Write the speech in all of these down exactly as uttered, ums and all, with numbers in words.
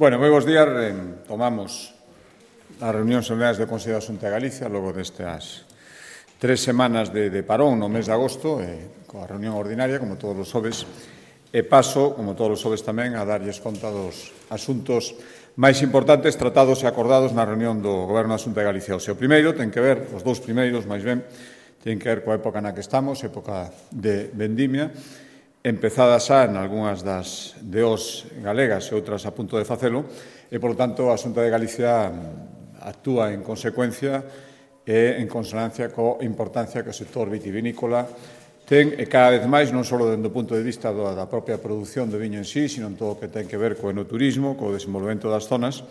Bueno, moi bons días. Tomamos as reunións ordinarias do Consello da Xunta de Galicia logo destas tres semanas de, de parón no mes de agosto, eh, coa reunión ordinaria, como todos os xoves, e paso, como todos os xoves tamén, a darlles conta dos asuntos máis importantes tratados e acordados na reunión do Goberno da Xunta de Galicia. O seu primeiro ten que ver, os dous primeiros, máis ben, ten que ver coa época na que estamos, época de vendimia, empezada xa en algunhas das D Os galegas e outras a punto de facelo, e, polo tanto, a Xunta de Galicia actúa en consecuencia e en consonancia coa importancia que o sector vitivinícola ten, e cada vez máis, non só dende o punto de vista da propia produción do viño en sí, sino en todo o que ten que ver co enoturismo, co desenvolvemento das zonas,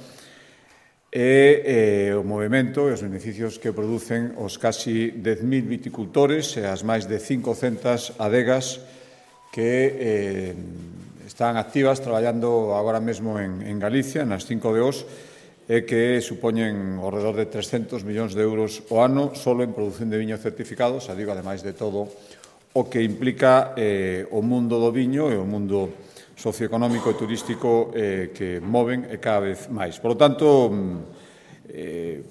e eh, o movimento e os beneficios que producen os casi dez mil viticultores e as máis de cincocentas adegas que eh, están activas traballando agora mesmo en, en Galicia, nas cinco D Os, e que supoñen ao redor de trescentos millóns de euros o ano solo en produción de viño certificado, xa digo, ademais de todo o que implica eh, o mundo do viño e o mundo socioeconómico e turístico eh, que moven e cada vez máis. Por lo tanto, eh,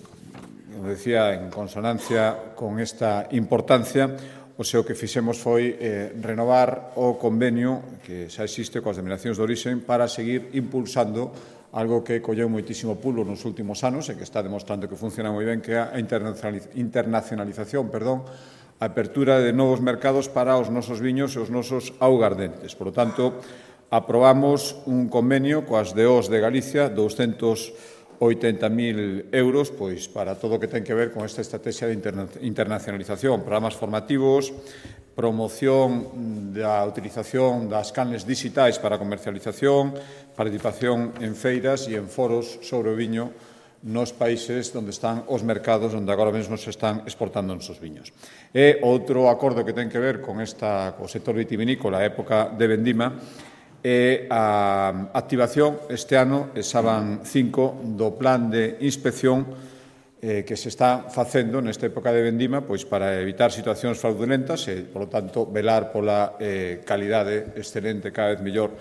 como decía, en consonancia con esta importancia, o seu que fixemos foi eh, renovar o convenio que xa existe coas denominacións de orixen para seguir impulsando algo que colleu moitísimo pulo nos últimos anos e que está demostrando que funciona moi ben, que é a internacionalización, perdón, a apertura de novos mercados para os nosos viños e os nosos augardentes. Por lo tanto, aprobamos un convenio coas D Os de Galicia, douscentos oitenta mil euros, pois para todo o que ten que ver con esta estrategia de internacionalización, programas formativos, promoción da utilización das canles digitais para a comercialización, participación en feiras e en foros sobre o viño nos países onde están os mercados onde agora mesmo se están exportando os nosos viños. E outro acordo que ten que ver con esta, co sector vitivinícola, a época de vendima, e a activación este ano, xa van cinco, do plan de inspección eh, que se está facendo nesta época de vendima, pois para evitar situacións fraudulentas e, polo tanto, velar pola eh, calidade excelente, cada vez mellor,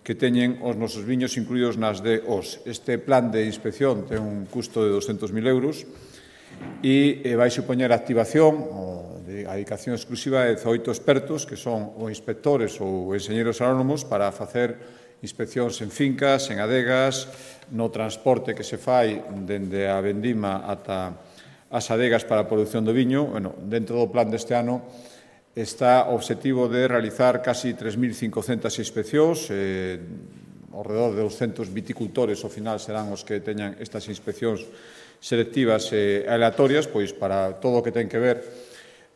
que teñen os nosos viños incluídos nas D Os. Este plan de inspección ten un custo de doscentos mil euros e eh, vai supoñer a activación o a dedicación exclusiva de dezaoito expertos, que son ou inspectores ou enxeñeros agrónomos, para facer inspeccións en fincas, en adegas, no transporte que se fai dende a vendima ata as adegas para a produción do viño. Bueno, dentro do plan deste ano está o obxectivo de realizar casi tres mil cincocentas inspeccións, eh, ao redor de douscentos viticultores, ao final serán os que teñan estas inspeccións selectivas e aleatorias, pois para todo o que ten que ver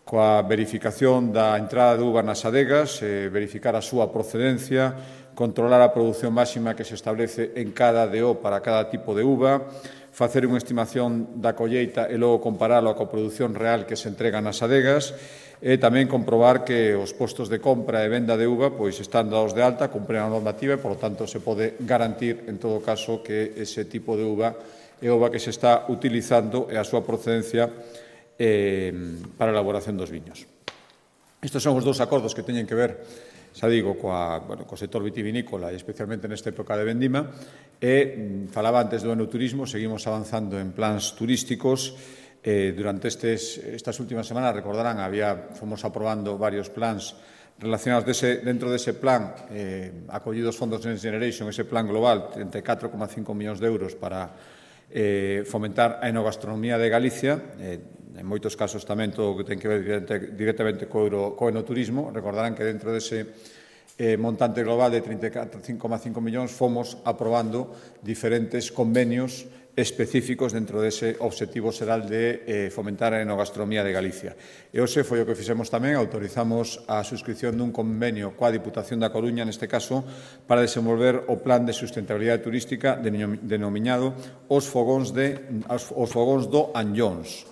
coa verificación da entrada de uva nas adegas, eh, verificar a súa procedencia, controlar a produción máxima que se establece en cada D O para cada tipo de uva, facer unha estimación da colleita e logo comparalo coa produción real que se entrega nas adegas, e tamén comprobar que os postos de compra e venda de uva pois están dados de alta, cumpren a normativa e, por lo tanto, se pode garantir, en todo caso, que ese tipo de uva é uva que se está utilizando e a súa procedencia Eh, para a elaboración dos viños. Estes son os dous acordos que teñen que ver, xa digo, coa, bueno, co sector vitivinícola e especialmente nesta época de vendima, e falaba antes do enoturismo, seguimos avanzando en plans turísticos. Eh, durante estes, estas últimas semanas, recordarán, había, fomos aprobando varios plans relacionados dese, dentro dese plan, eh, acollidos fondos Next Generation, ese plan global, treinta e catro coma cinco millóns de euros para eh, fomentar a enogastronomía de Galicia, eh, en moitos casos tamén todo o que ten que ver directamente co, euro, co enoturismo. Recordarán que dentro dese eh, montante global de trinta e cinco coma cinco millóns fomos aprobando diferentes convenios específicos dentro dese obxectivo xeral de eh, fomentar a enogastronomía de Galicia. E hoxe foi o que fixemos tamén, autorizamos a suscripción dun convenio coa Diputación da Coruña, neste caso, para desenvolver o plan de sustentabilidade turística denominado os fogóns, de, os fogóns do Anllóns.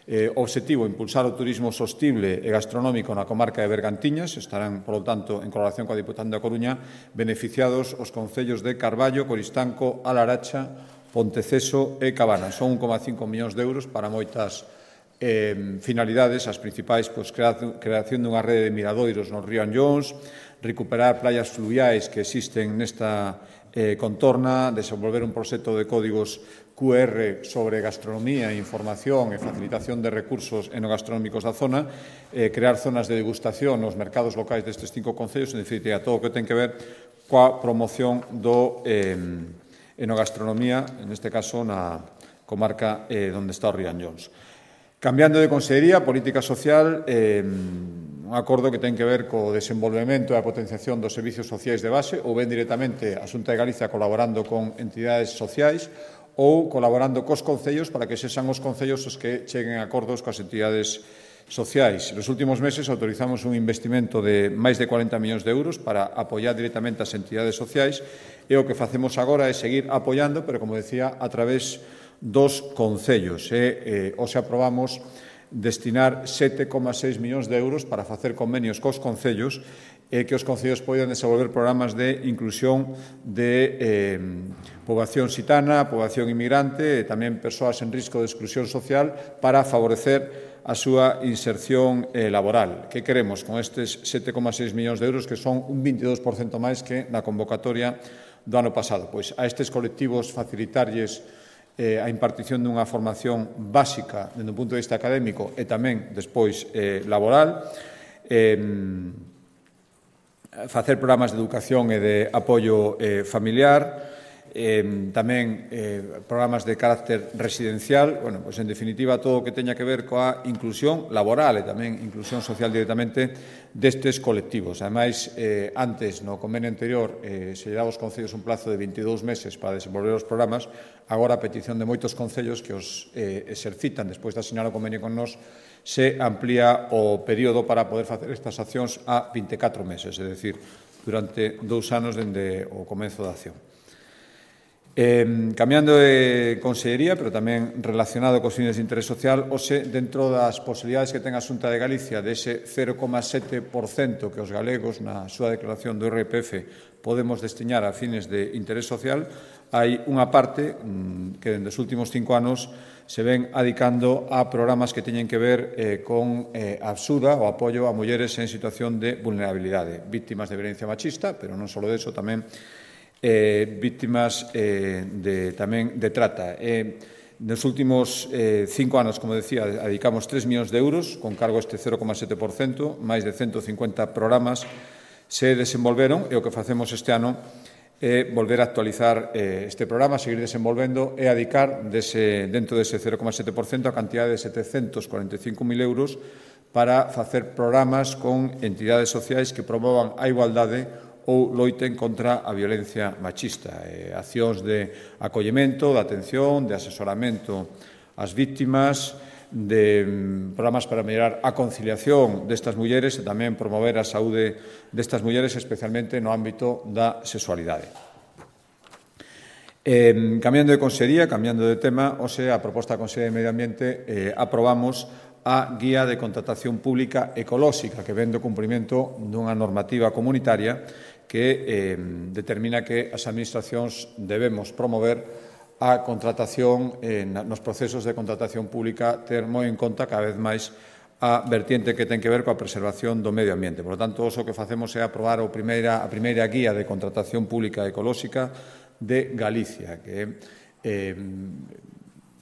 Eh, obxectivo, impulsar o turismo sostible e gastronómico na comarca de Bergantiñas. Estarán, por lo tanto, en colaboración coa Diputación da Coruña, beneficiados os concellos de Carballo, Coristanco, A Laracha, Ponteceso e Cabana. Son un coma cinco millóns de euros para moitas eh, finalidades, as principais, pois, creación dunha rede de miradoiros no río Anllóns, recuperar playas fluviais que existen nesta eh, contorna, desenvolver un proxecto de códigos Q R sobre gastronomía, información e facilitación de recursos enogastronómicos da zona, eh, crear zonas de degustación nos mercados locais destes cinco concellos, en definitiva, todo o que ten que ver coa promoción do eh, enogastronomía, neste caso na comarca eh, onde está o río Anllóns. Cambiando de consellería, política social, eh, un acordo que ten que ver co desenvolvemento e a potenciación dos servicios sociais de base, ou ben directamente a Xunta de Galicia colaborando con entidades sociais ou colaborando cos concellos para que sexan os concellos os que cheguen a acordos coas entidades sociais. Nos últimos meses autorizamos un investimento de máis de cuarenta millóns de euros para apoiar directamente as entidades sociais e o que facemos agora é seguir apoiando, pero, como decía, a través dos concellos. E, eh, hoxe aprobamos destinar sete coma seis millóns de euros para facer convenios cos concellos e que os concellos poidan desenvolver programas de inclusión de eh, poboación xitana, poboación inmigrante e tamén persoas en risco de exclusión social para favorecer a súa inserción eh, laboral. Que queremos con estes sete coma seis millóns de euros, que son un veintidós por cento máis que na convocatoria do ano pasado? Pois a estes colectivos facilitarlles eh, a impartición dunha formación básica dende un punto de vista académico e tamén despois eh, laboral, eh, facer programas de educación e de apoio eh, familiar, eh, tamén eh, programas de carácter residencial, bueno, pois en definitiva todo o que teña que ver coa inclusión laboral e tamén inclusión social directamente destes colectivos. Ademais, eh, antes, no convenio anterior, eh, se lle daba aos concellos un plazo de veintidós meses para desenvolver os programas, agora a petición de moitos concellos que os eh, exercitan despois de asinar o convenio con nós, se amplía o período para poder facer estas accións a vinte e catro meses, é dicir, durante dous anos dende o comenzo da acción. Eh, cambiando de consellería, pero tamén relacionado cos fines de interés social, hoxe, dentro das posibilidades que ten a Xunta de Galicia de ese cero coma sete por cento que os galegos na súa declaración do I R P F podemos destinar a fines de interés social, hai unha parte mmm, que dende os últimos cinco anos se ven adicando a programas que teñen que ver eh, con eh, a axuda ou apoio a mulleres en situación de vulnerabilidade, víctimas de violencia machista, pero non só deso, tamén Eh, víctimas eh, de, tamén de trata. Eh, nos últimos eh, cinco anos, como decía, dedicamos tres millóns de euros con cargo a este cero coma sete por cento, máis de ciento cincuenta programas se desenvolveron e o que facemos este ano é volver a actualizar eh, este programa, seguir desenvolvendo e adicar dese, dentro dese cero coma sete por cento a cantidad de setecentos cuarenta e cinco mil euros para facer programas con entidades sociais que promovan a igualdade ou loiten contra a violencia machista, eh, accións de acollemento, de atención, de asesoramento ás víctimas, de mm, programas para mellorar a conciliación destas mulleres e tamén promover a saúde destas mulleres, especialmente no ámbito da sexualidade. Eh, cambiando de consellería, cambiando de tema, hoxe a proposta da Consellería de Medio Ambiente eh, aprobamos a Guía de Contratación Pública Ecolóxica, que ven do cumprimento dunha normativa comunitaria que eh, determina que as administracións debemos promover a contratación eh, nos procesos de contratación pública, ter moi en conta cada vez máis a vertiente que ten que ver coa preservación do medio ambiente. Por lo tanto, o que facemos é aprobar a primeira, a primeira guía de contratación pública ecolóxica de Galicia, que eh,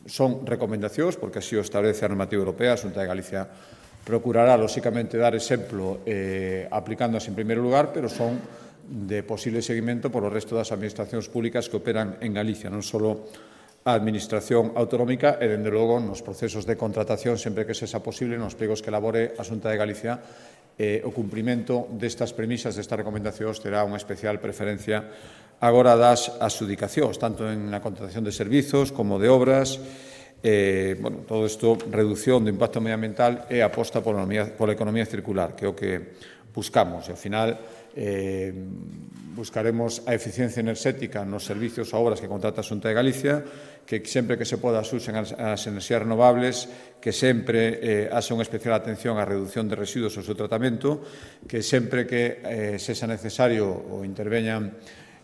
son recomendacións, porque así o establece a normativa europea. A Xunta de Galicia procurará, lóxicamente, dar exemplo eh, aplicándoas en primeiro lugar, pero son de posible seguimento por o resto das administracións públicas que operan en Galicia, non só a Administración Autonómica e, dende logo, nos procesos de contratación, sempre que sexa posible, nos plegos que elabore a Xunta de Galicia, eh, o cumprimento destas premisas, destas recomendacións, terá unha especial preferencia agora das adxudicacións, tanto en a contratación de servizos como de obras. Eh, bueno, todo isto, reducción do impacto medioambiental e aposta pola economía, pola economía circular, que é o que buscamos. E, ao final, eh, buscaremos a eficiencia enerxética nos servizos ou obras que contrata a Xunta de Galicia, que sempre que se poda usen as, as enerxías renovables, que sempre eh, haxa unha especial atención á reducción de residuos e o seu tratamento, que sempre que eh, sexa necesario ou interveñan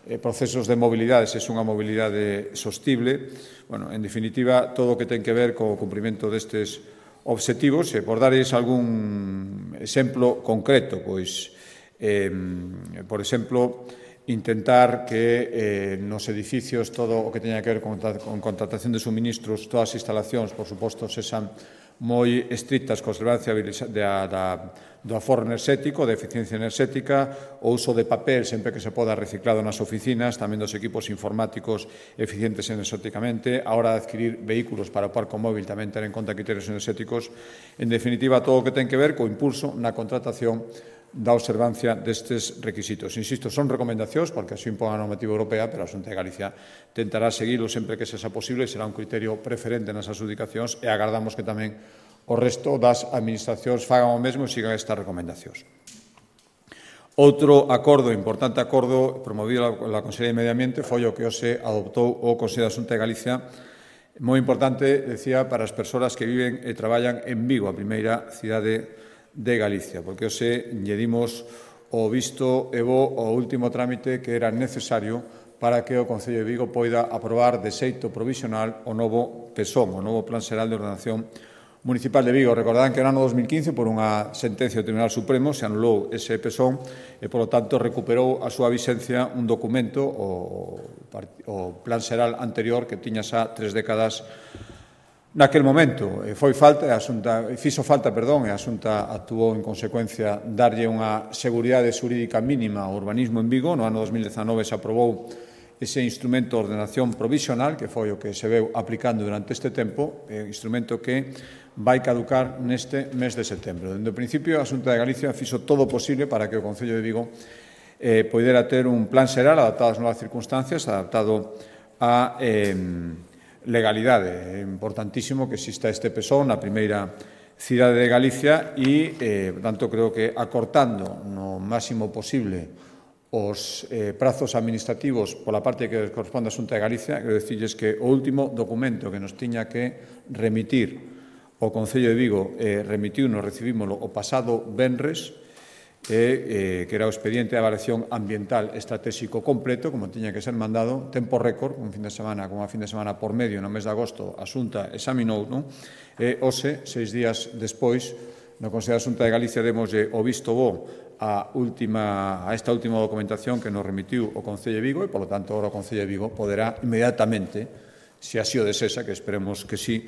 eh, procesos de mobilidade, se é unha mobilidade sostible. Bueno, en definitiva, todo o que ten que ver co cumprimento destes obxectivos, e por darles algún exemplo concreto, pois, eh, por exemplo, intentar que eh, nos edificios todo o que teña que ver con, con contratación de suministros, todas as instalacións, por suposto, sexan moi estrictas co observancia da, da, do aforro enerxético, da eficiencia enerxética, o uso de papel sempre que se poda reciclado nas oficinas, tamén dos equipos informáticos eficientes enerxéticamente, a hora de adquirir vehículos para o parco móvil tamén ter en conta criterios enerxéticos, en definitiva, todo o que ten que ver co impulso na contratación da observancia destes requisitos. Insisto, son recomendacións, porque así impón a normativa europea, pero a Xunta de Galicia tentará seguilo sempre que sexa posible e será un criterio preferente nas adjudicacións e agardamos que tamén o resto das administracións fagan o mesmo e sigan estas recomendacións. Outro acordo, importante acordo, promovido pola Consellería de Medio Ambiente, foi o que hoxe adoptou o Consello da Xunta de Galicia, moi importante, decía, para as persoas que viven e traballan en Vigo, a primeira cidade de Galicia, porque hoxe lle dimos o visto e bo o último trámite que era necesario para que o Concello de Vigo poida aprobar de xeito provisional o novo PESOM, o novo Plan Xeral de Ordenación Municipal de Vigo. Recordarán que no ano dos mil quince, por unha sentencia do Tribunal Supremo, se anulou ese PESOM e, polo tanto, recuperou a súa vixencia un documento, o, o Plan Xeral anterior, que tiña xa tres décadas naquel momento. Foi falta, a Xunta, fixo falta, perdón, e a Xunta actuou en consecuencia darlle unha seguridade xurídica mínima ao urbanismo en Vigo. No ano dos mil dezanove se aprobou ese instrumento de ordenación provisional, que foi o que se veu aplicando durante este tempo, eh, instrumento que vai caducar neste mes de setembro. Dende o principio, a Xunta de Galicia fixo todo o posible para que o Concello de Vigo eh, poidera ter un plan xeral adaptado ás novas circunstancias, adaptado a eh, legalidade. É importantísimo que exista este PESOM na primeira cidade de Galicia e, eh, por tanto, creo que acortando no máximo posible os eh, prazos administrativos pola parte que corresponde á Xunta de Galicia, quero dicirles que o último documento que nos tiña que remitir o Concello de Vigo eh, remitiu, nos recibímoslo o pasado venres, e, eh, que era o expediente de avaliación ambiental estratégico completo, como tiña que ser mandado, tempo récord, un fin de semana, como a fin de semana por medio, no mes de agosto, a Xunta examinou, non? E hoxe, seis días despois, no Consello da Xunta de Galicia demoslle o visto bo a, última, a esta última documentación que nos remitiu o Concello de Vigo e, polo tanto, agora o Concello de Vigo poderá inmediatamente, se así o desesa, que esperemos que sí,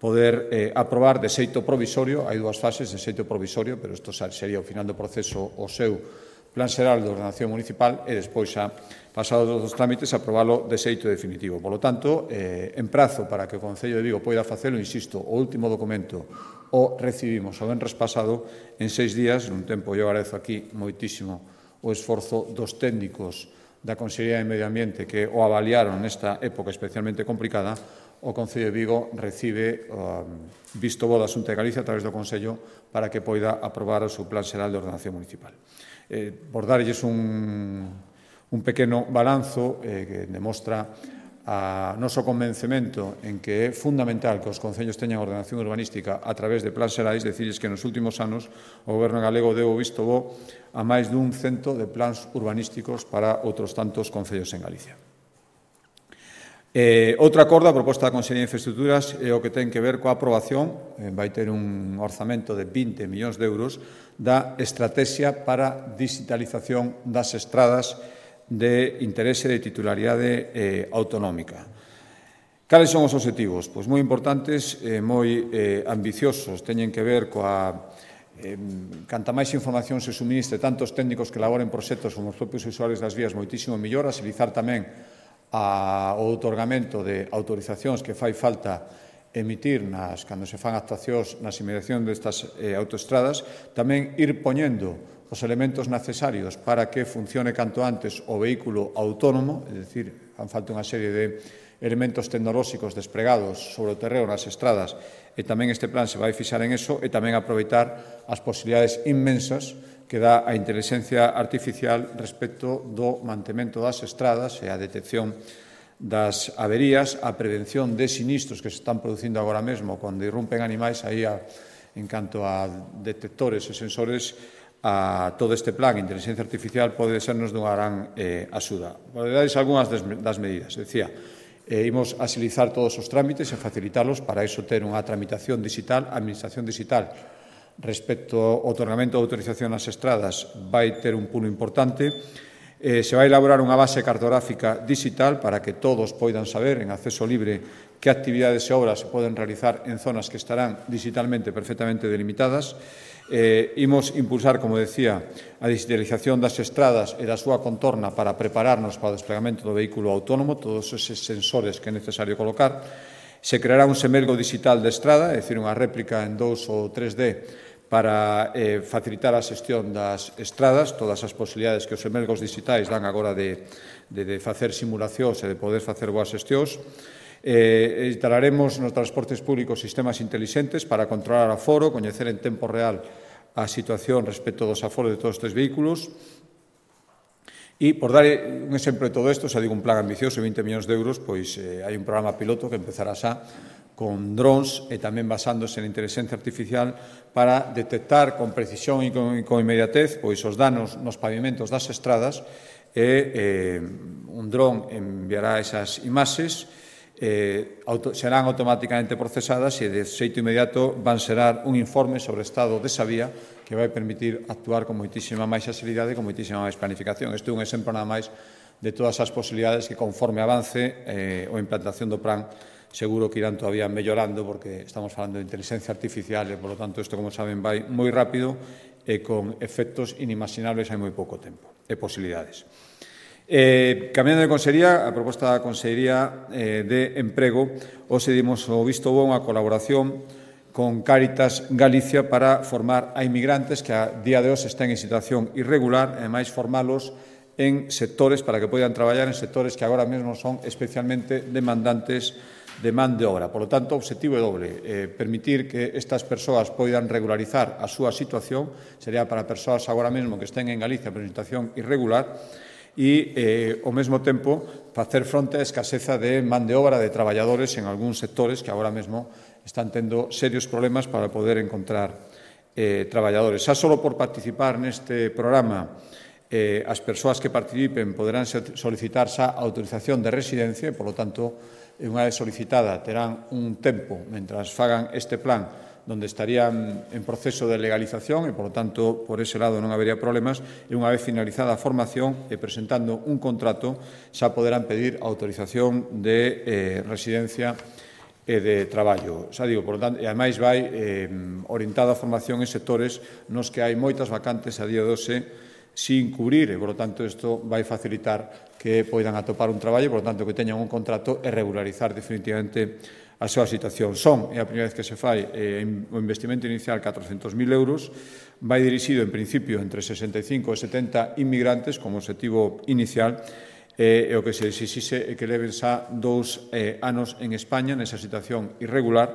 poder eh, aprobar de xeito provisorio. Hai dúas fases de xeito provisorio, pero isto sería o final do proceso o seu Plan Xeral de Ordenación Municipal e despois, xa, pasados os trámites, aprobalo de xeito definitivo. Por lo tanto, eh, en prazo para que o Concello de Vigo poida facelo, insisto, o último documento o recibimos o venres pasado en seis días, nun tempo eu agradezo aquí moitísimo o esforzo dos técnicos da Consellería de Medio Ambiente que o avaliaron nesta época especialmente complicada. O Concello de Vigo recibe o visto bo da Xunta de Galicia a través do Consello para que poida aprobar o seu Plan Xeral de Ordenación Municipal. Eh, por darlles un, un pequeno balanzo eh, que demostra a noso convencemento en que é fundamental que os concellos teñan ordenación urbanística a través de plans xerais, decirles que nos últimos anos o Goberno galego deu o visto bo a máis dun cento de plans urbanísticos para outros tantos concellos en Galicia. Eh, outro acordo, a proposta da Consellería de Infraestructuras, é o que ten que ver coa aprobación, eh, vai ter un orzamento de vinte millóns de euros, da estrategia para digitalización das estradas de interese de titularidade eh, autonómica. Cales son os obxectivos? Pois moi importantes e moi eh, ambiciosos, teñen que ver coa eh, canta máis información se suministre tanto os técnicos que elaboren proxectos como os propios usuarios das vías moitísimo mellor, agilizar tamén a, o outorgamento de autorizacións que fai falta emitir nas, cando se fan actuacións nas inmediacións destas eh, autoestradas, tamén ir poñendo os elementos necesarios para que funcione canto antes o vehículo autónomo, é dicir, fan falta unha serie de elementos tecnolóxicos despregados sobre o terreo nas estradas e tamén este plan se vai fixar en eso e tamén aproveitar as posibilidades inmensas que dá a inteligencia artificial respecto do mantemento das estradas e a detección das averías, a prevención de sinistros que se están producindo agora mesmo cando irrumpen animais, aí a, en canto a detectores e sensores, a todo este plan, a inteligencia artificial, pode sernos dunha gran eh, axuda. Vou darles algunhas das medidas. Decía, E imos axilizar todos os trámites e facilitalos para iso ter unha tramitación digital, a administración digital. Respecto ao otorgamento de autorización nas estradas, vai ter un pulo importante. Eh, se vai elaborar unha base cartográfica digital para que todos poidan saber en acceso libre que actividades e obras se poden realizar en zonas que estarán digitalmente perfectamente delimitadas. Eh, imos impulsar, como decía, a digitalización das estradas e da súa contorna para prepararnos para o desplegamento do vehículo autónomo, todos eses sensores que é necesario colocar. Se creará un semelgo digital de estrada, é dicir, unha réplica en dous ou tres D para eh, facilitar a xestión das estradas, todas as posibilidades que os semelgos digitais dan agora de, de, de facer simulacións e de poder facer boas xestións. Eh, instalaremos nos transportes públicos sistemas intelixentes para controlar o aforo, coñecer en tempo real a situación respecto dos aforos de todos estes vehículos. E, por dar un exemplo de todo isto, xa digo, un plan ambicioso de vinte millóns de euros, pois eh, hai un programa piloto que empezará xa con drones e tamén basándose na inteligencia artificial para detectar con precisión e con, con inmediatez pois os danos nos pavimentos das estradas e eh, un dron enviará esas imaxes, eh, auto, serán automáticamente procesadas e de xeito inmediato van xerar un informe sobre o estado desa vía que vai permitir actuar con moitísima máis axilidade e con moitísima máis planificación. Este é un exemplo nada máis de todas as posibilidades que conforme avance eh, a implantación do plan seguro que irán todavía mellorando porque estamos falando de inteligencia artificial e, por lo tanto, isto, como saben, vai moi rápido e con efectos inimaginables hai moi pouco tempo e posibilidades. Eh, cambiando de consellería, a proposta da Consellería eh, de Emprego, hoxe dimos o visto bo unha colaboración con Cáritas Galicia para formar a inmigrantes que a día de hoxe estén en situación irregular e máis formalos en sectores para que poidan traballar en sectores que agora mesmo son especialmente demandantes de man de obra. Por lo tanto, o obxectivo é doble, eh, permitir que estas persoas poidan regularizar a súa situación, sería para persoas agora mesmo que estén en Galicia por situación irregular, e, eh, ao mesmo tempo, facer fronte á escaseza de man de obra de traballadores en algúns sectores que agora mesmo están tendo serios problemas para poder encontrar eh, traballadores. Xa só por participar neste programa, eh, as persoas que participen poderán solicitar xa autorización de residencia e, por lo tanto, e unha vez solicitada terán un tempo mentras fagan este plan donde estarían en proceso de legalización e, por lo tanto, por ese lado non habería problemas e unha vez finalizada a formación e presentando un contrato xa poderán pedir autorización de eh, residencia e de traballo. Xa digo, por lo tanto, e ademais vai eh, orientada a formación en sectores nos que hai moitas vacantes a día de hoxe sin cubrir e, por lo tanto, isto vai facilitar que poidan atopar un traballo, por lo tanto, que teñan un contrato e regularizar definitivamente a súa situación. Son, é a primeira vez que se fai, eh, o investimento inicial catrocentos mil euros, vai dirixido, en principio, entre sesenta e cinco e setenta inmigrantes como objetivo inicial, e, e o que se exixe é que leven xa dous eh, anos en España nesa situación irregular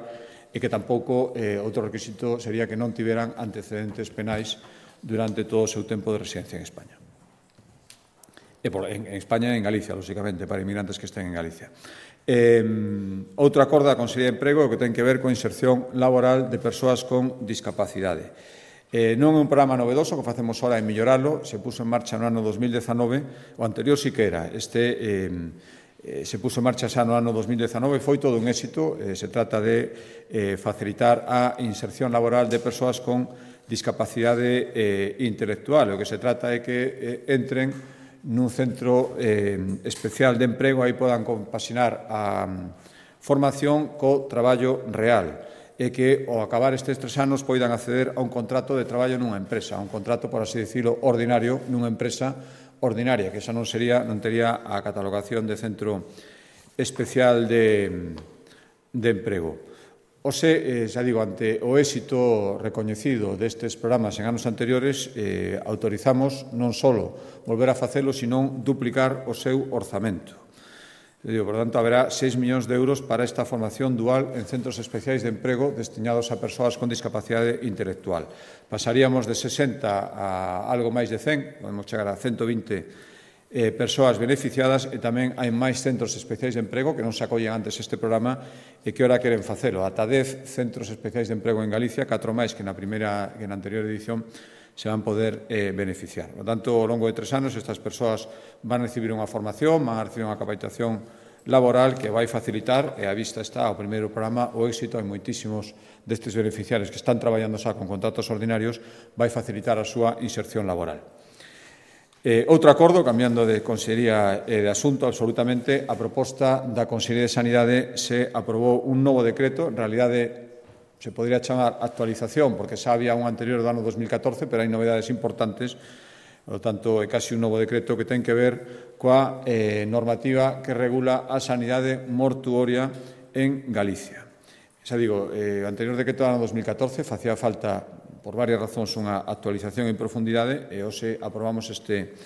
e que tampouco eh, outro requisito sería que non tiveran antecedentes penais durante todo o seu tempo de residencia en España. E por, en, en España e en Galicia, lóxicamente, para inmigrantes que estén en Galicia. Eh, outro acordo da Consellería de Emprego que ten que ver coa inserción laboral de persoas con discapacidade. Eh, non é un programa novedoso que facemos ahora en melloralo, se puso en marcha no ano dos mil dezanove, o anterior sí que era, este eh, eh, se puso en marcha xa no ano dos mil dezanove, foi todo un éxito, eh, se trata de eh, facilitar a inserción laboral de persoas con discapacidade eh, intelectual. O que se trata é que eh, entren nun centro eh, especial de emprego, aí podan compasinar a formación co traballo real e que, ao acabar estes tres anos, poidan acceder a un contrato de traballo nunha empresa, a un contrato, por así decirlo, ordinario nunha empresa ordinaria, que xa non sería, non tería a catalogación de centro especial de, de emprego. Ose, eh, xa digo, ante o éxito recoñecido destes programas en anos anteriores, eh, autorizamos non só volver a facelo, senón duplicar o seu orzamento. Digo, por tanto, haberá seis millóns de euros para esta formación dual en centros especiais de emprego destinados a persoas con discapacidade intelectual. Pasaríamos de sesenta a algo máis de cen, podemos chegar a ciento vinte Eh, persoas beneficiadas e tamén hai máis centros especiais de emprego que non se acollen antes este programa e que ora queren facelo. Ata dez centros especiais de emprego en Galicia, catro máis que na primeira que na anterior edición se van poder eh, beneficiar. Por tanto, ao longo de tres anos estas persoas van a recibir unha formación, van a recibir unha capacitación laboral que vai facilitar, e a vista está o primeiro programa, o éxito en moitísimos destes beneficiarios que están traballando xa con contratos ordinarios, vai facilitar a súa inserción laboral. Eh, outro acordo, cambiando de consellería e de asunto absolutamente, a proposta da Consellería de Sanidade se aprobou un novo decreto, en realidade se podría chamar actualización, porque xa había un anterior do ano dos mil catorce, pero hai novedades importantes. Por lo tanto, é casi un novo decreto que ten que ver coa eh, normativa que regula a sanidade mortuoria en Galicia. Xa digo, eh, o anterior decreto do ano dos mil catorce facía falta, por varias razóns, unha actualización en profundidade e hoxe aprobamos este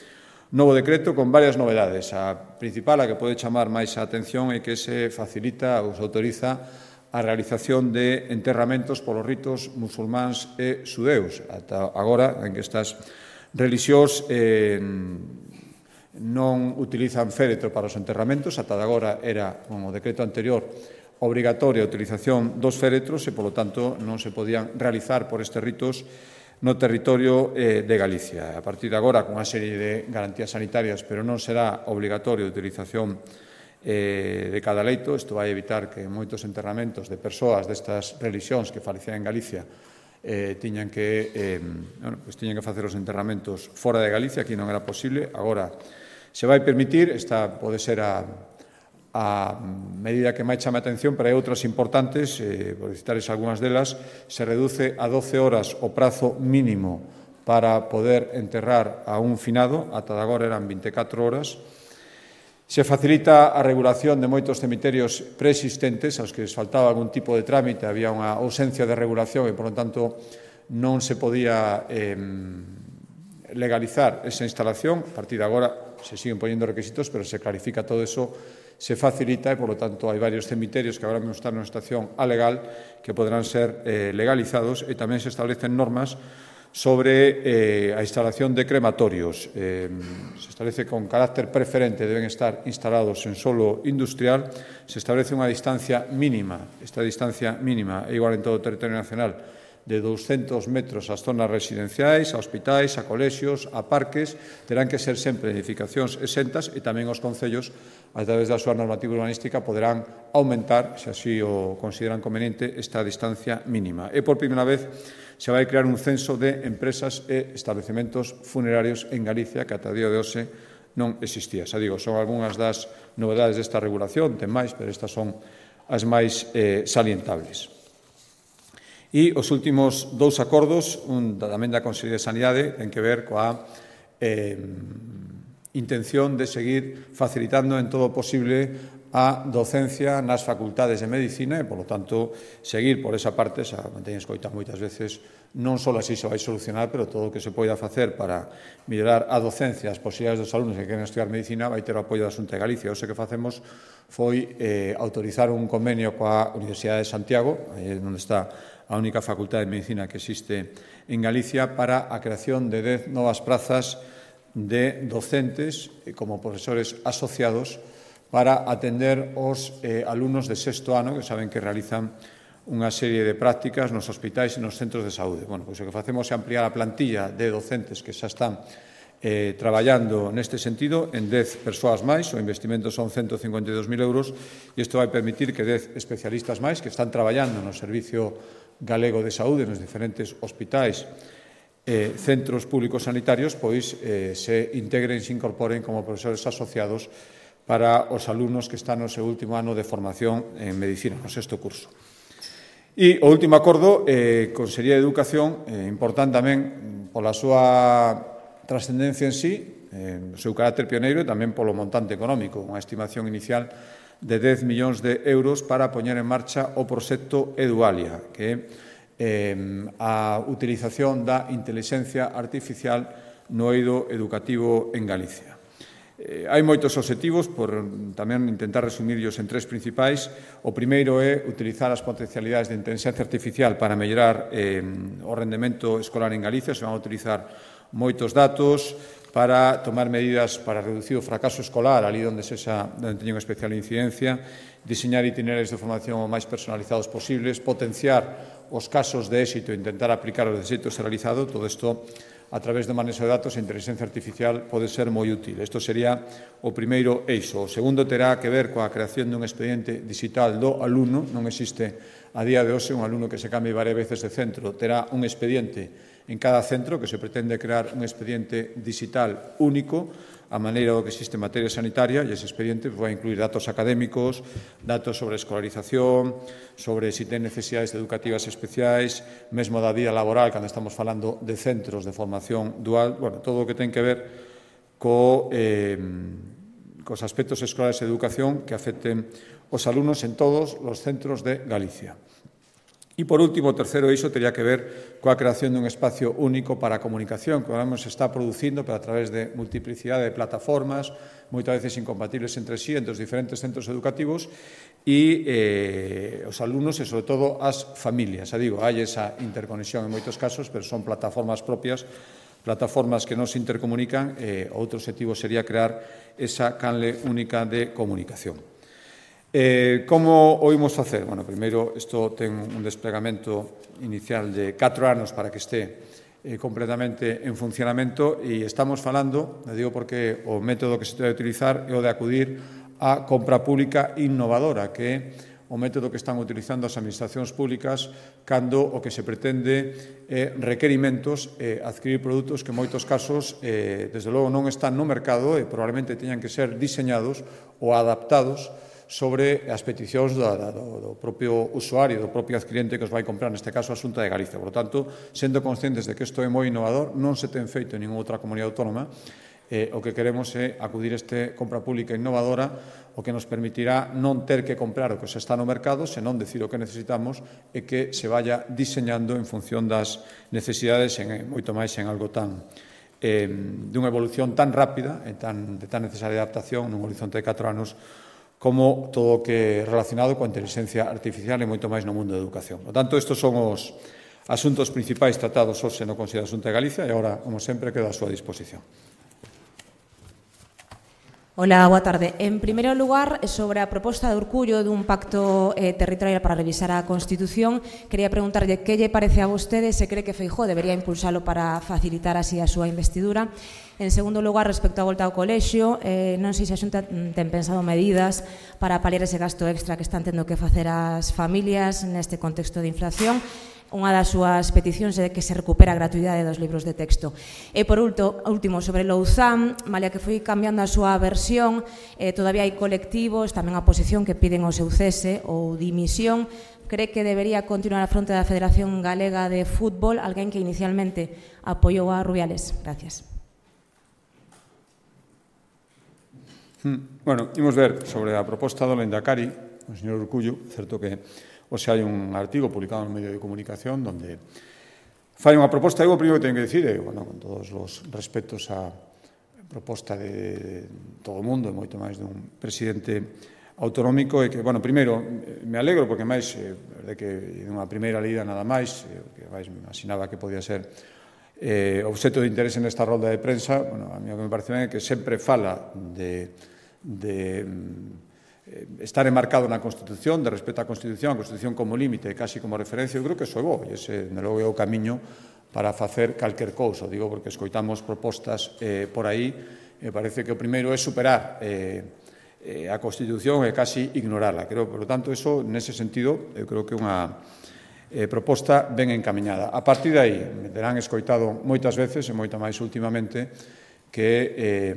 novo decreto con varias novedades. A principal, a que pode chamar máis a atención, é que se facilita ou se autoriza a realización de enterramentos polos ritos musulmáns e xudeus. Ata agora, en que estas relixións eh, non utilizan féretro para os enterramentos, ata agora era, con o decreto anterior, obrigatoria a utilización dos féretros e, polo tanto, non se podían realizar por estes ritos no territorio eh, de Galicia. A partir de agora, con unha serie de garantías sanitarias, pero non será obligatorio a utilización eh, de cada leito. Isto vai evitar que moitos enterramentos de persoas destas relixións que falecían en Galicia Eh, tiñan que eh, bueno, pues tiñan que facer os enterramentos fora de Galicia, aquí non era posible. Agora se vai permitir, esta pode ser a, a medida que máis chama a atención, pero hai outras importantes, eh, por citarles algunhas delas. Se reduce a doce horas o prazo mínimo para poder enterrar a un finado, ata agora eran vinte e catro horas. Se facilita a regulación de moitos cemiterios preexistentes aos que les faltaba algún tipo de trámite, había unha ausencia de regulación e, por lo tanto, non se podía eh, legalizar esa instalación. A partir de agora se siguen poniendo requisitos, pero se clarifica todo eso, se facilita e, por lo tanto, hai varios cemiterios que agora mesmo están nunha situación alegal que poderán ser eh, legalizados, e tamén se establecen normas sobre eh, a instalación de crematorios. Eh, se establece con carácter preferente, deben estar instalados en solo industrial. Se establece unha distancia mínima, esta distancia mínima é igual en todo o territorio nacional, de douscentos metros ás zonas residenciais, a hospitais, a colexios, a parques. Terán que ser sempre edificacións exentas, e tamén os concellos, a través da súa normativa urbanística, poderán aumentar, se así o consideran conveniente, esta distancia mínima. E por primeira vez se vai crear un censo de empresas e establecementos funerarios en Galicia, que ata o día de hoxe non existía. Xa digo, son algunhas das novedades desta regulación, ten máis, pero estas son as máis eh, salientables. E os últimos dous acordos, un tamén da Consellería de Sanidade, ten que ver coa eh, intención de seguir facilitando en todo o posible a docencia nas facultades de Medicina e, polo tanto, seguir por esa parte. Xa manteñen escoitado moitas veces, non só así se vai solucionar, pero todo o que se poida facer para mellorar a docencia, as posibilidades dos alumnos que queren estudiar Medicina, vai ter o apoio da Xunta de Galicia. O que facemos foi eh, autorizar un convenio coa Universidade de Santiago, aí onde está a única facultade de Medicina que existe en Galicia, para a creación de dez novas prazas de docentes como profesores asociados para atender os eh, alumnos de sexto ano, que saben que realizan unha serie de prácticas nos hospitais e nos centros de saúde. Bueno, pois o que facemos é ampliar a plantilla de docentes que xa están eh, traballando neste sentido en dez persoas máis. O investimento son ciento cincuenta e dos mil euros, e isto vai permitir que dez especialistas máis que están traballando no Servicio Galego de Saúde, nos diferentes hospitais, eh, centros públicos sanitarios, pois eh, se integren, se incorporen como profesores asociados para os alumnos que están no seu último ano de formación en Medicina, no sexto curso. E o último acordo, eh, Consellería de Educación, eh, importante tamén pola súa trascendencia en sí, eh, o seu carácter pioneiro, e tamén polo montante económico, unha estimación inicial de dez millóns de euros para poñer en marcha o proxecto Edualia, que é eh, a utilización da intelixencia artificial no eido educativo en Galicia. Eh, hai moitos obxectivos, por tamén intentar resumirlos en tres principais. O primeiro é utilizar as potencialidades de inteligencia artificial para mellorar eh, o rendemento escolar en Galicia. Se van a utilizar moitos datos para tomar medidas para reducir o fracaso escolar, ali onde se xa onde teñen unha especial incidencia, diseñar itinerarios de formación o máis personalizados posibles, potenciar os casos de éxito e intentar aplicar os de éxito realizado. Todo isto a través do manexo de datos, a inteligencia artificial pode ser moi útil. Isto sería o primeiro eixo. O segundo terá que ver coa creación dun expediente digital do alumno. Non existe a día de hoxe un alumno que se cambie varias veces de centro. Terá un expediente en cada centro, que se pretende crear un expediente digital único, a maneira do que existe en materia sanitaria, e ese expediente vai incluir datos académicos, datos sobre escolarización, sobre se ten necesidades educativas especiais, mesmo da vida laboral, cando estamos falando de centros de formación dual, bueno, todo o que ten que ver co, eh, cos aspectos escolares de educación que afecten os alumnos en todos os centros de Galicia. E, por último, o terceiro eixo teria que ver coa creación dun espacio único para a comunicación que ahora se está producindo pero a través de multiplicidade de plataformas, moitas veces incompatibles entre sí, entre os diferentes centros educativos e eh, os alumnos e, sobre todo, as familias. A digo, hai esa interconexión en moitos casos, pero son plataformas propias, plataformas que non se intercomunican, e outro objetivo sería crear esa canle única de comunicación. Eh, como o imos facer? Bueno, primeiro, isto ten un desplegamento inicial de catro anos para que este eh, completamente en funcionamento e estamos falando, le digo porque o método que se debe utilizar é o de acudir á compra pública innovadora, que é o método que están utilizando as administracións públicas cando o que se pretende é requerimentos e adquirir produtos que en moitos casos, eh, desde logo, non están no mercado e probablemente teñan que ser diseñados ou adaptados sobre as peticións do, do, do propio usuario, do propio adquirente que os vai comprar, neste caso a Xunta de Galicia. Por lo tanto, sendo conscientes de que isto é moi innovador, non se ten feito en ninguna outra comunidade autónoma, eh, o que queremos é acudir a este compra pública innovadora, o que nos permitirá non ter que comprar o que se está no mercado, senón decir o que necesitamos e que se vaya diseñando en función das necesidades, en, moito máis en algo tan eh, dunha evolución tan rápida e tan, de tan necesaria adaptación nun horizonte de catro anos como todo o que é relacionado coa inteligencia artificial e moito máis no mundo da educación. Por tanto, estes son os asuntos principais tratados hoxe no Consello da Xunta de Galicia e agora, como sempre, quedo á súa disposición. Hola, boa tarde. En primeiro lugar, sobre a proposta de Urcullo dun pacto eh, territorial para revisar a Constitución, quería preguntarlle que lle parece a vostede, se cree que Feijóo debería impulsalo para facilitar así a súa investidura. En segundo lugar, respecto á volta ao colexio, eh, non sei se a Xunta ten pensado medidas para paliar ese gasto extra que están tendo que facer as familias neste contexto de inflación. Unha das súas peticións é que se recupera a gratuidade dos libros de texto. E, por último, sobre Louzán, malia que foi cambiando a súa versión, eh, todavía hai colectivos, tamén a oposición, que piden o seu cese ou dimisión. Cree que debería continuar a fronte da Federación Galega de Fútbol, alguén que inicialmente apoiou a Rubiales? Gracias. Bueno, imos ver sobre a proposta do Lehendakari, o señor Urcullo, certo que hoxe hai un artigo publicado no medio de comunicación onde fai unha proposta, eu o primeiro que teño que dicir, e, bueno, con todos os respetos á proposta de todo o mundo, e moito máis dun presidente autonómico, e que, bueno, primeiro, me alegro, porque máis, de que nunha primeira lida nada máis, que máis me imaginaba que podía ser eh, obxecto de interés nesta rolda de prensa, bueno, a mí o que me parece ben é que sempre fala de, de estar enmarcado na Constitución, de respeto á Constitución, a Constitución como límite, casi como referencia. Eu creo que iso é bo, e ese, de logo, é o camiño para facer calquer cousa. Digo porque escoitamos propostas eh, por aí, e parece que o primeiro é superar eh, eh, a Constitución e casi ignorarla. Creo, por lo tanto, eso, nese sentido, eu creo que é unha eh, proposta ben encamiñada. A partir de aí, me terán escoitado moitas veces, e moita máis últimamente, que eh,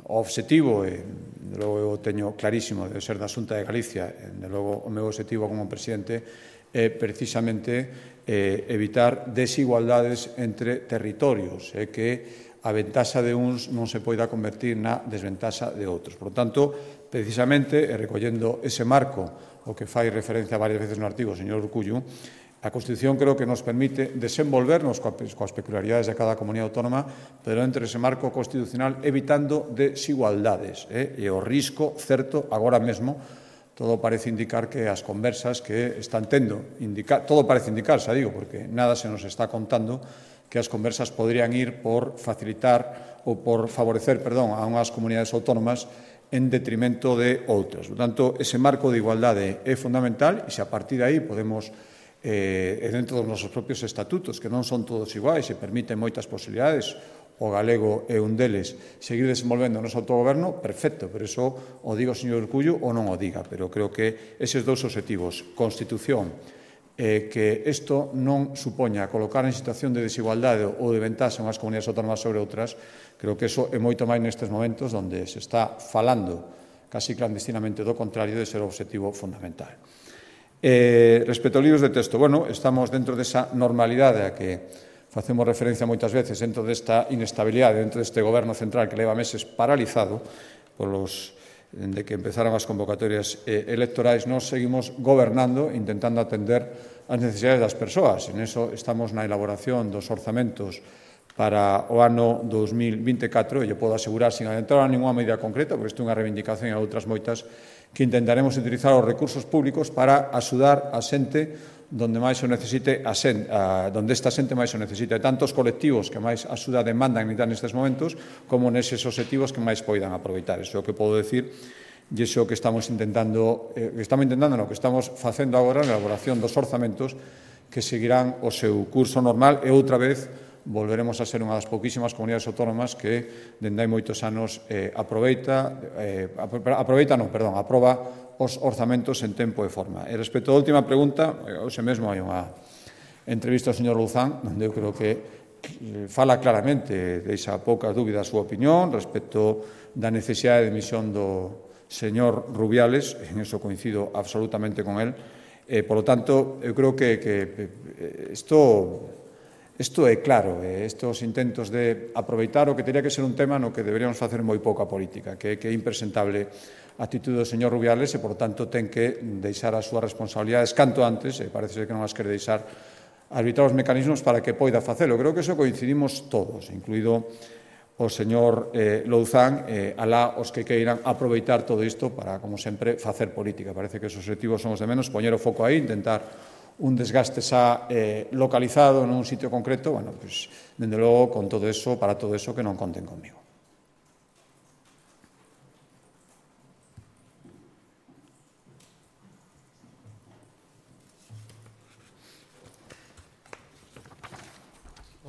o obxectivo e de logo eu teño clarísimo de ser da Xunta de Galicia, de logo o meu obxectivo como presidente é precisamente eh, evitar desigualdades entre territorios, é que a ventaxa de uns non se poida convertir na desventaxa de outros. Por lo tanto, precisamente, e recollendo ese marco, o que fai referencia varias veces no artigo o señor Urcullo, a Constitución creo que nos permite desenvolvernos coas peculiaridades de cada comunidade autónoma, pero entre ese marco constitucional evitando desigualdades. Eh? E o risco, certo, agora mesmo, todo parece indicar que as conversas que están tendo, indica, todo parece indicar, xa digo, porque nada se nos está contando, que as conversas podrían ir por facilitar ou por favorecer, perdón, a unhas comunidades autónomas en detrimento de outras. Por tanto, ese marco de igualdade é fundamental e se a partir de aí podemos e dentro dos nosos propios estatutos, que non son todos iguais e permiten moitas posibilidades, o galego é un deles, seguir desenvolvendo o noso autogoverno, perfecto, pero iso o diga o señor Urcullo ou non o diga, pero creo que eses dous obxectivos, Constitución, eh, que isto non supoña colocar en situación de desigualdade ou de ventaxa unhas comunidades autónomas sobre outras, creo que iso é moito máis nestes momentos onde se está falando casi clandestinamente do contrario de ser o obxectivo fundamental. Eh, respecto aos libros de texto, bueno, estamos dentro desa normalidade a que facemos referencia moitas veces dentro desta inestabilidade, dentro deste goberno central que leva meses paralizado polos de que empezaron as convocatorias eh, electorais, nos seguimos gobernando, intentando atender as necesidades das persoas. En eso estamos na elaboración dos orzamentos para o ano dos mil vinte e catro, e eu podo asegurar, sin adentrar a ninguna medida concreta, porque isto é unha reivindicación e outras moitas, que intentaremos utilizar os recursos públicos para axudar a xente donde máis o necesite, a xente, a, donde esta xente máis o necesite, tanto os colectivos que máis axuda demandan nestes momentos, como neses obxectivos que máis poidan aproveitar. Iso é o que podo decir, e iso é o que estamos intentando, eh, que estamos intentando, no que estamos facendo agora na elaboración dos orzamentos que seguirán o seu curso normal e outra vez volveremos a ser unha das pouquísimas comunidades autónomas que, dende hai moitos anos, eh, aproveita, eh, aproveita, non, perdón, aproba os orzamentos en tempo e forma. E respecto á última pregunta, hoxe mesmo hai unha entrevista ao señor Louzán, onde eu creo que fala claramente, deixa poucas dúbidas a súa opinión respecto da necesidade de emisión do señor Rubiales, en eso coincido absolutamente con él. Eh, por lo tanto, eu creo que, que isto... Isto é claro, estes intentos de aproveitar o que teria que ser un tema no que deberíamos facer moi pouca política, que é impresentable a actitude do señor Rubiales e, por tanto, ten que deixar as súas responsabilidades canto antes, e parece que non as quere deixar, arbitrar os mecanismos para que poida facelo. Creo que iso coincidimos todos, incluído o señor eh, Louzán, eh, alá os que queiran aproveitar todo isto para, como sempre, facer política. Parece que os objetivos son os de menos, poñer o foco aí, intentar un desgaste xa eh, localizado nun sitio concreto, bueno, pues, dende logo, con todo eso, para todo eso, que non conten conmigo.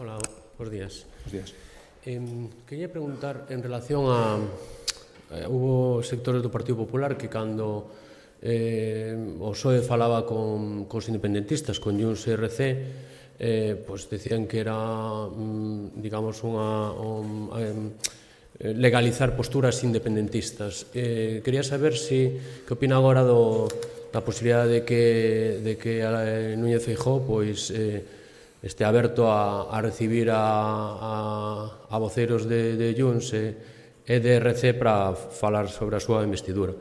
Hola, buenos días. Buenos días. Eh, quería preguntar en relación a... Eh, hubo sectores do Partido Popular que cando Eh, o P S O E falaba con, con os independentistas, con Junts e R C, eh, pues decían que era, mm, digamos, unha, un, eh, legalizar posturas independentistas. Eh, quería saber si, que opina agora do, da posibilidade de que, de que eh, Núñez Feijóo pois, eh, este aberto a, a recibir a, a, a voceros de, de Junts e, e de R C para falar sobre a súa investidura.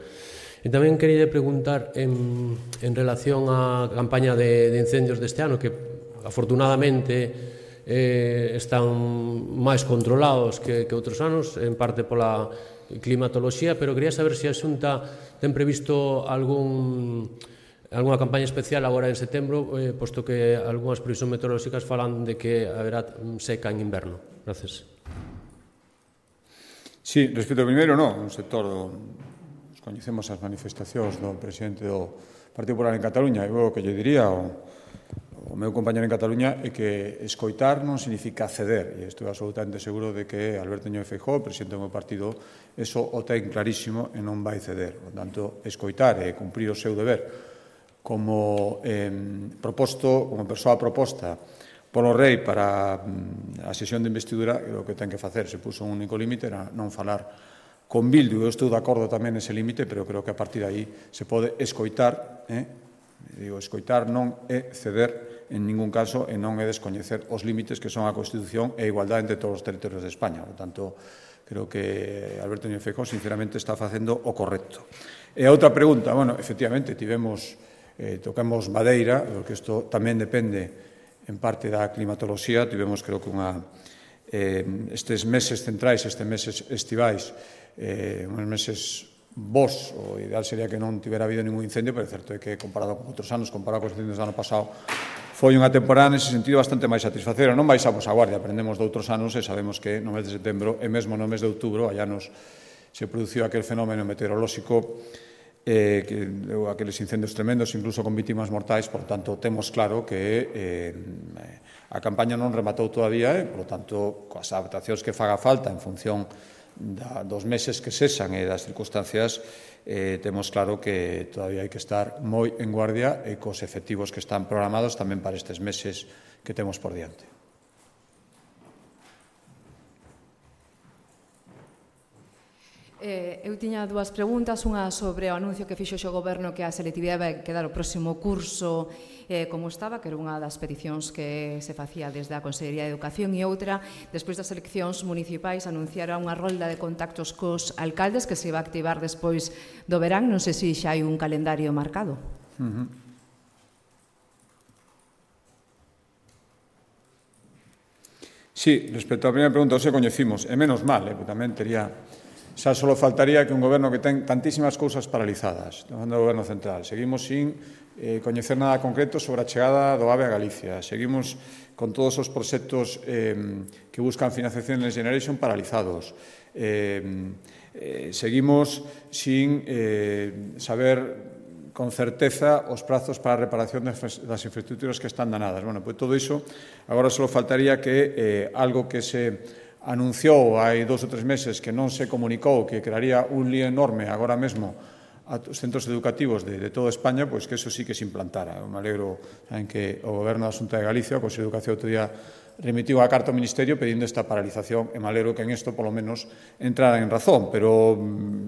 E tamén quería preguntar en, en relación á campaña de, de incendios deste ano, que afortunadamente eh, están máis controlados que, que outros anos, en parte pola climatoloxía, pero quería saber se a Xunta ten previsto algún, algunha campaña especial agora en setembro, eh, posto que algunhas previsións meteorolóxicas falan de que haberá seca en inverno. Gracias. Sí, respecto ao primeiro, non, un sector do... Coñecemos as manifestacións do presidente do Partido Popular en Cataluña, e o que lle diría o, o meu compañero en Cataluña é que escoitar non significa ceder, e estou absolutamente seguro de que Alberto Núñez Feijóo, presidente do meu partido, eso o ten clarísimo e non vai ceder. Por tanto, escoitar e cumprir o seu deber como eh, proposto, como persoa proposta polo rei para a sesión de investidura, o que ten que facer, se puso un único límite, era non falar con Bildu. Eu estou de acordo tamén nese límite, pero creo que a partir de aí se pode escoitar, eh? Digo, escoitar non é ceder en ningún caso e non é descoñecer os límites que son a Constitución e a igualdade entre todos os territorios de España. Por tanto, creo que Alberto Núñez Feijóo sinceramente está facendo o correcto. E a outra pregunta, bueno, efectivamente, tivemos, eh, tocamos madeira, porque isto tamén depende en parte da climatoloxía, tivemos creo que unha, eh, estes meses centrais, estes meses estivais, eh, uns meses vos, o ideal sería que non tivera habido ningún incendio, pero é certo é que comparado con outros anos, comparado con os incendios do ano pasado, foi unha temporada nese sentido bastante máis satisfacera. Non baixamos a guardia, aprendemos de outros anos e sabemos que no mes de setembro e mesmo no mes de outubro, allá nos se produciu aquel fenómeno meteorolóxico eh, que deu aqueles incendios tremendos, incluso con vítimas mortais, por tanto, temos claro que eh, a campaña non rematou todavía e, por tanto, coas adaptacións que faga falta en función da, dos meses que cesan e das circunstancias, eh, temos claro que todavía hai que estar moi en guardia e cos efectivos que están programados tamén para estes meses que temos por diante. Eh, eu tiña dúas preguntas, unha sobre o anuncio que fixo o Goberno que a selectividade vai quedar o próximo curso eh, como estaba, que era unha das peticións que se facía desde a Consellería de Educación, e outra, despois das eleccións municipais, anunciara unha rolda de contactos cos alcaldes que se iba a activar despois do verán. Non sei se xa hai un calendario marcado. Uh-huh. Sí, respecto á primeira pregunta, hoxe coñecimos, e menos mal, eh, porque tamén tería... Xa só faltaría que un goberno que ten tantísimas cousas paralizadas, do goberno central. Seguimos sin eh, coñecer nada concreto sobre a chegada do AVE a Galicia. Seguimos con todos os proxectos eh, que buscan financiación Next Generation paralizados. Eh, eh, seguimos sin eh, saber con certeza os prazos para a reparación das infraestructuras que están danadas. Bueno, pois todo iso, agora só faltaría que eh, algo que se anunciou hai dos ou tres meses que non se comunicou, que crearía un lío enorme agora mesmo a os centros educativos de, de toda España, pois que eso sí que se implantara. Eu me alegro en que o Goberno da Xunta de Galicia, o Consello de Educación, outro día remitiu a carta ao Ministerio pedindo esta paralización, e me alegro que en isto, polo menos, entrara en razón, pero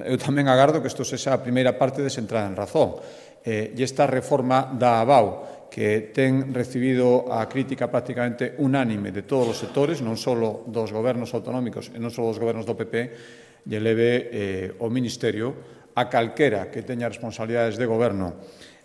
eu tamén agardo que isto sexa a primeira parte desa entrada en razón. Eh, e esta reforma da A B A U, que ten recibido a crítica prácticamente unánime de todos os sectores, non só dos gobernos autonómicos e non só dos gobernos do P P, e eleve eh, o Ministerio a calquera que teña responsabilidades de goberno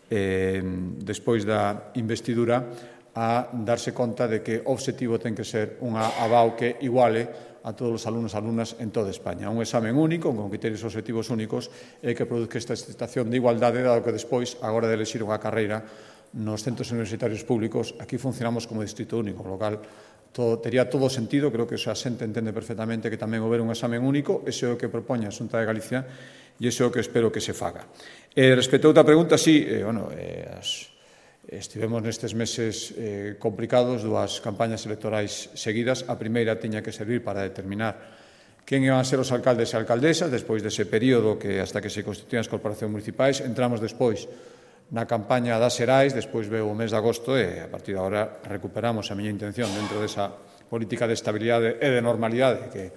eh, despois da investidura a darse conta de que o obxectivo ten que ser unha A B A U que iguale a todos os alumnos e alumnas en toda España. Un examen único, con criterios obxectivos únicos, e que produzca esta situación de igualdade, dado que despois, agora de elexir unha carreira, nos centros universitarios públicos, aquí funcionamos como distrito único, lo cal todo, tería todo sentido, creo que o xente entende perfectamente que tamén houber un examen único, ese é o que propone a Xunta de Galicia e ese é o que espero que se faga. Eh, respecto a outra pregunta, sí, eh, bueno, eh, as, estivemos nestes meses eh, complicados, dúas campañas electorais seguidas. A primeira tiña que servir para determinar quen iban a ser os alcaldes e alcaldesas, despois dese período que hasta que se constituían as corporacións municipais. Entramos despois na campaña das Xerais, despois veo o mes de agosto e a partir de agora recuperamos a miña intención dentro desa política de estabilidade e de normalidade que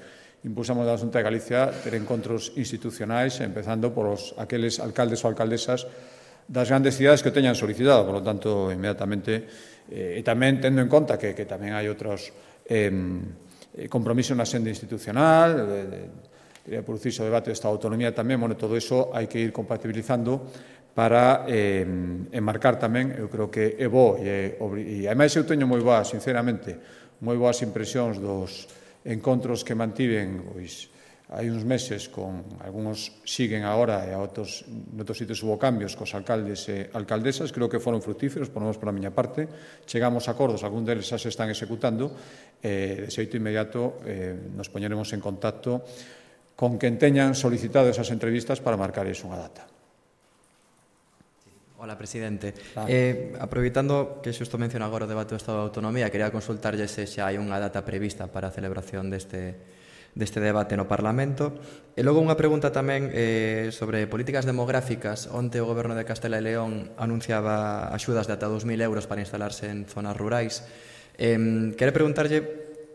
impulsamos da Xunta de Galicia, ter encontros institucionais, empezando por os, aqueles alcaldes ou alcaldesas das grandes cidades que o teñan solicitado. Por lo tanto, inmediatamente, eh, e tamén tendo en conta que, que tamén hai outros eh, compromisos na senda institucional, de, de, de producirse o debate desta autonomía tamén, bueno, todo iso hai que ir compatibilizando para eh, enmarcar tamén, eu creo que é bo, e, e ademais eu teño moi boas, sinceramente, moi boas impresións dos encontros que mantiven, pois, hai uns meses, con algúns siguen agora e a outros, noutros sitios hubo cambios cos alcaldes e alcaldesas, creo que foron fructíferos, por lo menos pola miña parte, chegamos a acordos, algún deles xa se están executando, e de xeito inmediato eh, nos poñeremos en contacto con quen teñan solicitado esas entrevistas para marcar iso unha data. Hola, presidente. Ah. Eh, aproveitando que xusto menciona agora o debate do Estado de Autonomía, quería consultarlle se xa hai unha data prevista para a celebración deste, deste debate no Parlamento. E logo unha pregunta tamén eh, sobre políticas demográficas. Onte o Goberno de Castela e León anunciaba axudas de ata dos mil euros para instalarse en zonas rurais. Eh, quero preguntarlle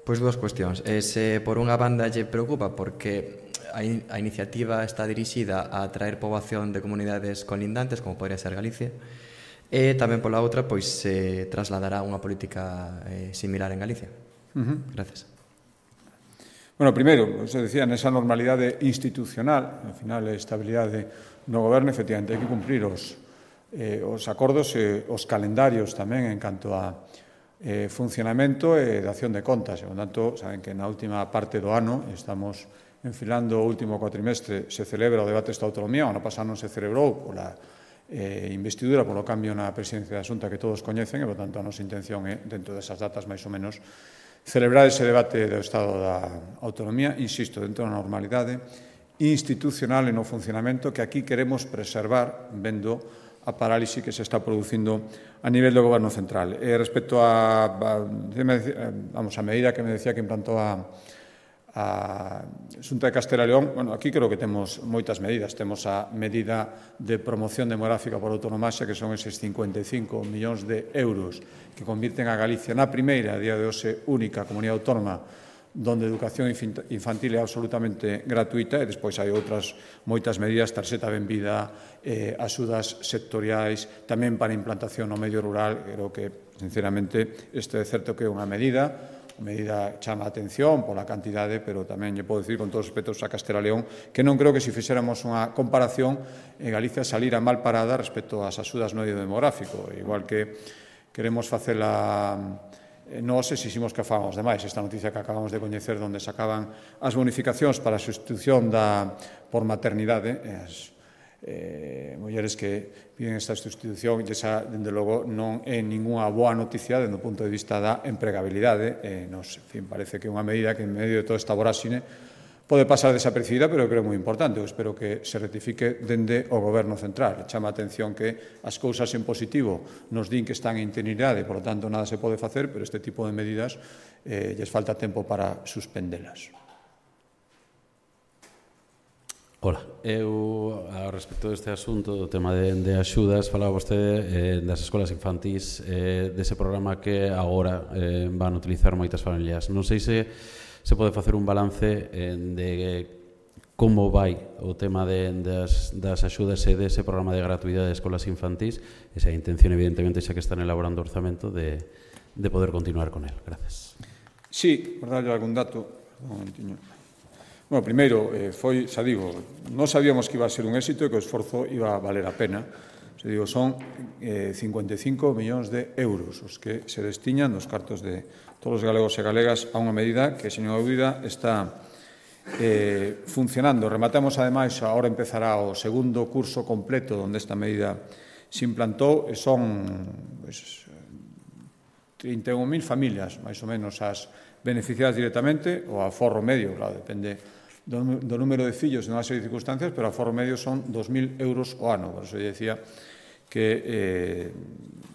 pois, dúas cuestións. Eh, se por unha banda lle preocupa porque a iniciativa está dirixida a atraer poboación de comunidades colindantes, como podría ser Galicia, e tamén pola outra, pois se trasladará unha política eh, similar en Galicia. Uh-huh. Gracias. Bueno, primeiro, se decía, nesa normalidade institucional, ao final, a estabilidade no goberno, efectivamente, hai que cumprir os, eh, os acordos e os calendarios tamén en canto a eh, funcionamento e de acción de contas. E, por tanto, saben que na última parte do ano estamos enfilando o último cuatrimestre, se celebra o debate desta autonomía, o ano pasado non se celebrou pola eh, investidura, polo cambio na presidencia da Xunta que todos coñecen, e, por tanto, a nosa intención é, dentro desas datas, máis ou menos, celebrar ese debate do Estado da Autonomía, insisto, dentro da normalidade institucional e no funcionamento que aquí queremos preservar vendo a parálise que se está producindo a nivel do Goberno central. E respecto a, a, vamos, a medida que me decía que implantou a a Xunta de Castela e León, bueno, aquí creo que temos moitas medidas. Temos a medida de promoción demográfica por autonomasia, que son eses cincuenta e cinco millóns de euros que convirten a Galicia na primeira, a día de hoxe, única comunidade autónoma donde a educación infantil é absolutamente gratuita, e despois hai outras moitas medidas, tarxeta benvida, eh, axudas sectoriais, tamén para implantación no medio rural. Creo que, sinceramente, isto é certo que é unha medida A medida chama a atención pola cantidade, pero tamén lle podo dicir con todos os respetos a Castela e León que non creo que se fixéramos unha comparación en Galicia salira mal parada respecto ás axudas no eido demográfico, igual que queremos facela nós exiximos que fagamos demais. Esta noticia que acabamos de coñecer onde sacaban as bonificacións para a sustitución da por maternidade, as eh, mulleres que piden esta sustitución, e esa, dende logo, non é ninguna boa noticia dende o punto de vista da empregabilidade. Eh, nos, en fin, parece que é unha medida que en medio de toda esta voráxine pode pasar desapercibida, pero creo moi importante. Eu espero que se rectifique dende o Goberno central. Chama a atención que as cousas en positivo nos din que están en interinidade, por lo tanto, nada se pode facer, pero este tipo de medidas eh, lles falta tempo para suspendelas. Ola, eu, a respecto deste asunto, do tema de, de axudas, falaba vostede eh, das escolas infantís, eh, dese programa que agora eh, van a utilizar moitas familias. Non sei se se pode facer un balance eh, de como vai o tema de, das, das axudas e dese programa de gratuidade de escolas infantís, e se a intención, evidentemente, xa que están elaborando orzamento, de, de poder continuar con el. Gracias. Sí, por darlle algún dato, un momentiño. Bueno, primeiro, eh, foi, xa digo, non sabíamos que iba a ser un éxito e que o esforzo iba a valer a pena. Xa digo, son eh, cincuenta e cinco millóns de euros os que se destiñan dos cartos de todos os galegos e galegas a unha medida que, señor dúbida, está eh, funcionando. Rematamos, ademais, agora empezará o segundo curso completo onde esta medida se implantou, e son pues, trinta e un mil familias, máis ou menos, as beneficiadas directamente, o aforro medio, claro, depende do, do número de fillos en unha serie de circunstancias, pero o aforro medio son dos mil euros o ano. Por eso eu decía que eh,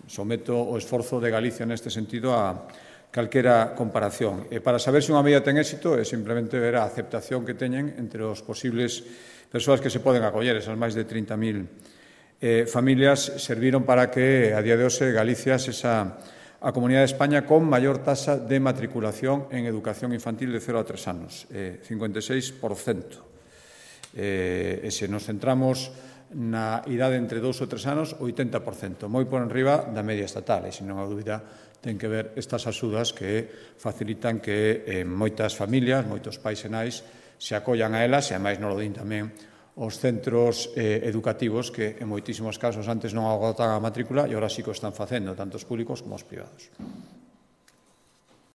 someto o esforzo de Galicia neste sentido a calquera comparación. E para saber se unha medida ten éxito é simplemente ver a aceptación que teñen entre os posibles persoas que se poden acoller. Esas máis de trinta mil eh, familias serviron para que a día de hoxe Galicia se esa a Comunidade de España con maior tasa de matriculación en educación infantil de cero a tres anos, eh, cincuenta e seis por cento. Eh, e se nos centramos na idade entre dous ou tres anos, oitenta por cento, moi por enriba da media estatal, e se non há dúbida ten que ver estas axudas que facilitan que eh, moitas familias, moitos pais e nais se acollan a elas, e ademais non lo din tamén os centros eh, educativos que en moitísimos casos antes non agotaban a matrícula e agora sí que o están facendo, tanto os públicos como os privados.